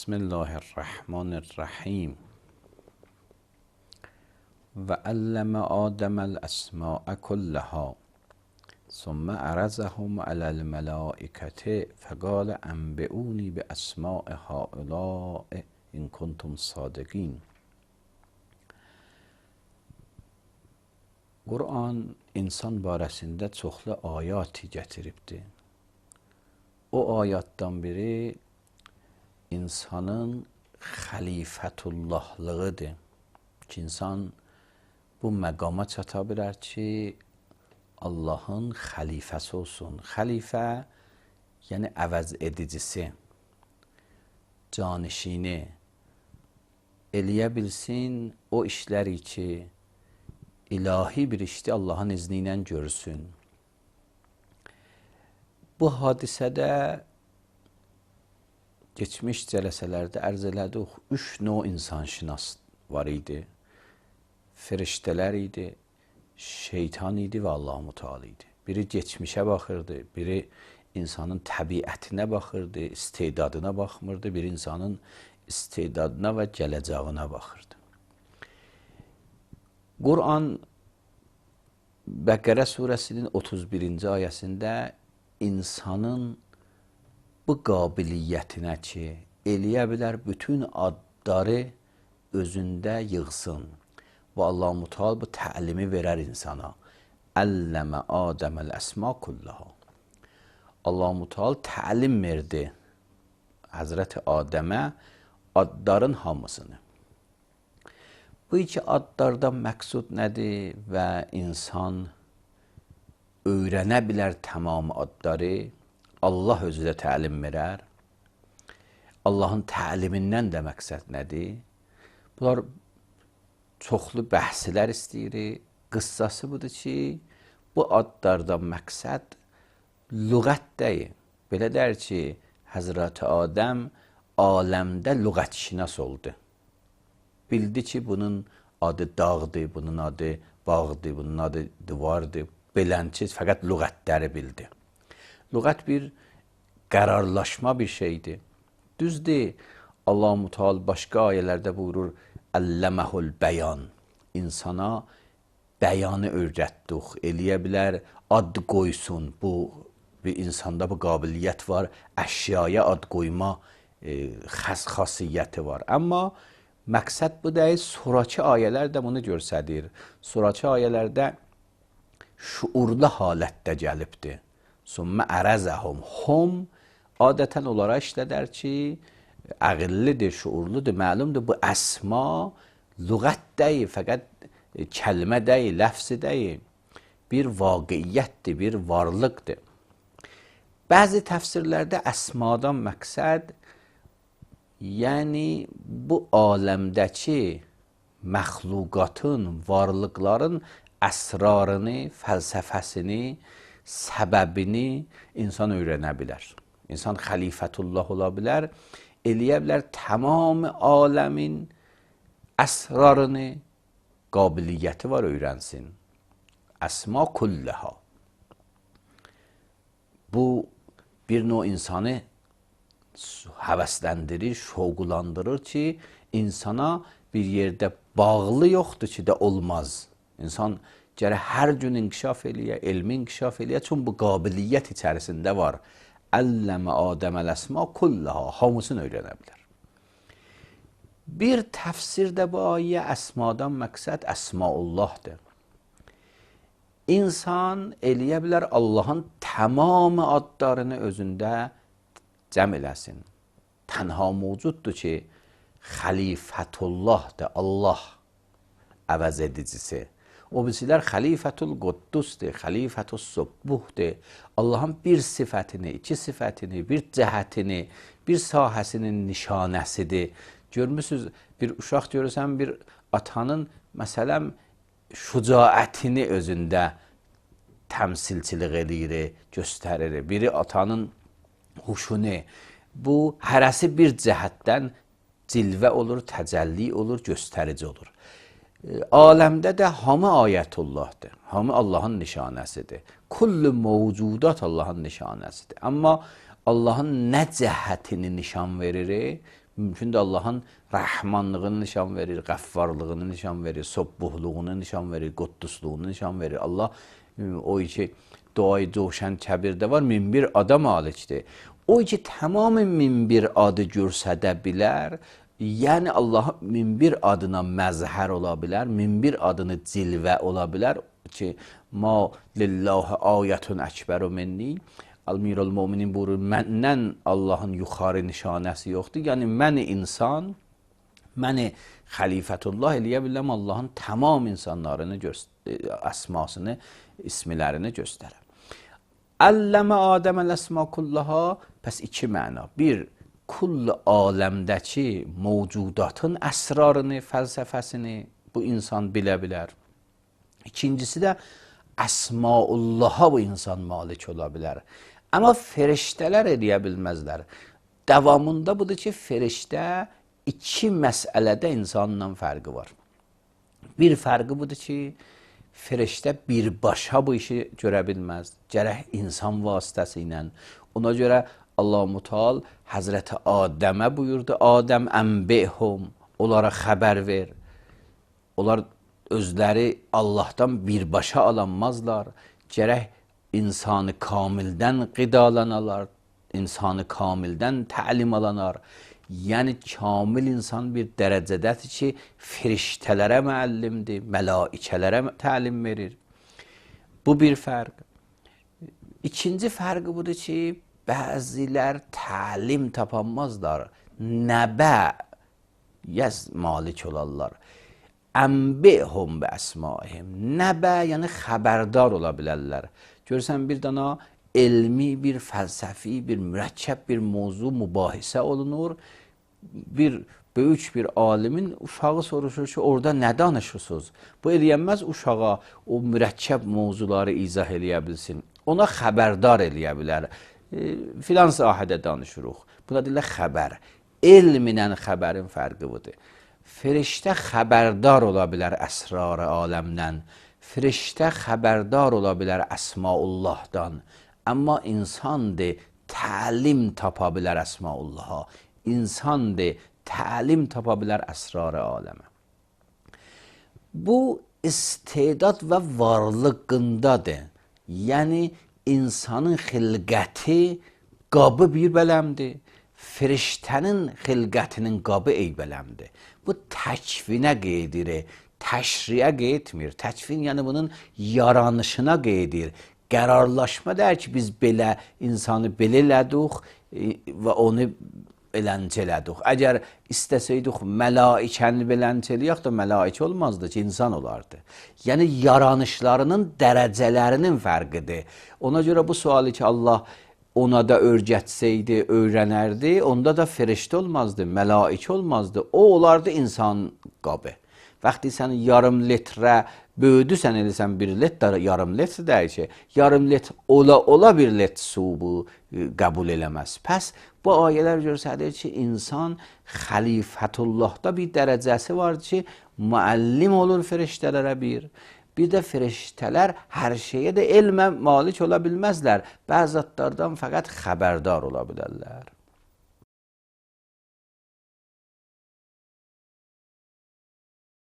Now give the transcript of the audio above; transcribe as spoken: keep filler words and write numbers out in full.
بسم الله الرحمن الرحیم و علم آدم الاسماء كلها ثم عرضهم على الملائکة فقال انبئونی باسماء هؤلاء ان کنتم صادقین. Qur'an insan barəsində çoxlu ayat gətiribdir. O ayatdan biri insanın xəlifətullahlığıdır ki, insan bu məqama çata bilər ki, Allahın xəlifəsi olsun. Xəlifə, yəni əvəz edicisi, canişini eləyə bilsin o işləri ki, ilahi bir işdə Allahın izni ilə görsün. Bu hadisədə geçmiş cələsələrdə ərz elədik, üç növ insanşinas var idi. Firiştələr idi, şeytan idi və Allah-u Teala idi. Biri geçmişə baxırdı, biri insanın təbiətinə baxırdı, istedadına baxmırdı, biri insanın istedadına və gələcəyinə baxırdı. Qur'an Bəqərə surəsinin otuz birinci ayəsində insanın bu qabiliyyətinə ki, eləyə bilər bütün adları özündə yığsın. Və Allah-u Teala bu təlimi verər insana. Əlləmə Adəməl əsma kullaha. Allah-u Teala təlim verdi Həzrəti Adəmə adların hamısını. Bu iki adlardan məqsud nədir və insan öyrənə bilər tamam adları, Allah özü də təlim verər. Allahın təlimindən də məqsəd nədir? Bunlar çoxlu bəhslər istəyir. Qıssası budur ki, bu adlardan məqsəd lüğət deyil. Belə deyir ki, Həzrəti Adəm aləmdə lüğətşinas oldu. Bildi ki, bunun adı dağdır, bunun adı bağdır, bunun adı divardır. Belənçi fəqət lüğətləri bildi. Lüğət bir qərarlaşma bir şeydir. Düzdür, Allah-u Teala başqa ayələrdə buyurur, Əlləməhul bəyan. İnsana bəyanı öyrətdik, eləyə bilər, ad qoysun. Bu, bir insanda bu qabiliyyət var, əşyaya ad qoyma e, xas xasiyyəti var. Amma məqsəd bu deyil, sonraki ayələr də bunu göstərir. Sonraki ayələrdə şuurlu halətdə gəlibdir. Sümmə ərəzəhum. Hum adətən olaraq işlədər ki, əqillidir, şuurludur, məlumdur. Bu əsma lüğət deyil, fəqət kəlmə deyil, ləfsi deyil. Bir vaqiyyətdir, bir varlıqdır. Bəzi təfsirlərdə əsmadan məqsəd, yəni bu aləmdəki məxluqatın, varlıqların əsrarını, fəlsəfəsini, səbəbini insan öyrənə bilər. İnsan xəlifətullah ola bilər, eləyə bilər tamam aləmin əsrarını, qabiliyyəti var öyrənsin. Əsma kullaha. Bu bir növ insanı həvəsləndirir, şoğulandırır ki, insana bir yerdə bağlı yoxdur ki, də olmaz. İnsan gərək hər gün inkişaf eləyə, elmi inkişaf eləyə, çünki bu qabiliyyət içərisində var. Əlləmə Adəməl əsma kullaha, hamısını öyrənə bilər. Bir təfsirdə bu ayə əsmadan məqsəd əsmaullahdır. İnsan eləyə bilər Allahın tamamı adlarını özündə cəm eləsin. Tənha mövcuddur ki, xəlifətullahdır, Allah əvəz edicisi. O birisilər xəlifətul quddusdur, xəlifətul subbuhdur. Allahın bir sifətini, iki sifətini, bir cəhətini, bir sahəsinin nişanəsidir. Görmüsünüz, bir uşaq görürsən, bir atanın, məsələn, şücaətini özündə təmsilçilik edir, göstərir. Biri atanın huşunu, bu hərəsi bir cəhətdən cilvə olur, təcəlli olur, göstərici olur. Aləmdə də hamı ayətullahdır, hamı Allahın nişanəsidir. Kullu mövcudat Allahın nişanəsidir. Amma Allahın nə cəhətini nişan verir? Mümkündür Allahın rəhmanlığını nişan verir, qəffarlığını nişan verir, sobbuhluğunu nişan verir, quddusluğunu nişan verir. Allah o ki duayı coşan kəbirdə var, min bir ada malikdir. O ki tamamı min bir adı görsədə bilər, yəni Allah min bir adına məzhər ola bilər, min bir adını cilvə ola bilər ki, ma lillahi ayətun əkbəru minni. Əl-Mirul Müminin buyurur, məndən Allahın yuxarı nişanəsi yoxdur. Yəni, məni insan, məni xəlifətullah eləyə biləm Allahın tamam insanlarını, əsmasını, ismilərini göstərəm. Əlləmə Adəməl əsma kullaha, pəs iki məna. Bir, kull aləmdəki mövcudatın əsrarını, fəlsəfəsini bu insan bilə bilər. İkincisi də əsmaullaha bu insan malik ola bilər. Amma feriştələr eləyə bilməzlər. Davamında budur ki, feriştə iki məsələdə insanla fərqi var. Bir fərqi budur ki, feriştə birbaşa bu işi görə bilməz. Gərək insan vasitəsi ilə. Ona görə Allah-u Teala Həzrəti Adəmə buyurdu, Adəm ənbihum, onlara xəbər ver. Onlar özləri Allahdan birbaşa alanmazlar. Gərək insanı kamildən qidalanalar, insanı kamildən təlim alanar. Yəni, kamil insan bir dərəcədədir ki, firiştələrə müəllimdir, mələikələrə təlim verir. Bu bir fərq. İkinci fərqi budur ki, bəzilər təlim tapanmazlar, nəbə yəz malik olarlar. Ənbihum bə əsmaihim. Nəbə, yəni xəbərdar ola bilərlər. Görürsən, bir dana elmi, bir fəlsəfi, bir mürəkkəb bir mövzu mübahisə olunur. Bir böyük bir alimin uşağı soruşur ki, orada nə danışırsınız? Bu eləyənməz uşağa o mürəkkəb mövzuları izah eləyə bilsin. Ona xəbərdar eləyə bilər. E, filan sahədə danışırıq. Buna deyirlər xəbər. Elminlə xəbərin fərqi budur. Firiştə xəbərdar ola bilər əsrar-ı aləmdən. Firiştə xəbərdar ola bilər əsmaullahdan. Amma insandır, təlim tapa bilər əsmaullaha. İnsandır, təlim tapa bilər əsrar-ı aləmə. Bu istedad və varlığındadır. Yəni, insanın xilqəti qabı bir bələmdir. Firiştənin xilqətinin qabı eybələmdir. Bu təkvinə qeydir, təşriyə qeytmir. Təkvin, yəni bunun yaranışına qeydir. Qərarlaşma deyir ki, biz belə insanı belə elədik və onu beləncə elədik. Əgər istəsəydik mələikəni beləncə eləyək də mələikə olmazdı ki, insan olardı. Yəni, yaranışlarının dərəcələrinin fərqidir. Ona görə bu sualı ki, Allah ona da öyrətsəydi, öyrənərdi, onda da firiştə olmazdı, mələikə olmazdı. O olardı insan qabı. Vaxtı sən yarım litrə böyüdüsən, eləsən bir litr, yarım litr deyir ki, yarım litr ola ola bir litr su bu qəbul eləməz. Pəs bu ayələr göstərir ki, insan xəlifətullahda bir dərəcəsi var ki, müəllim olur firiştələrə bir. Bir də firiştələr hər şeyə də elmə malik ola bilməzlər. Bəzi zatlardan fəqət xəbərdar ola bilərlər.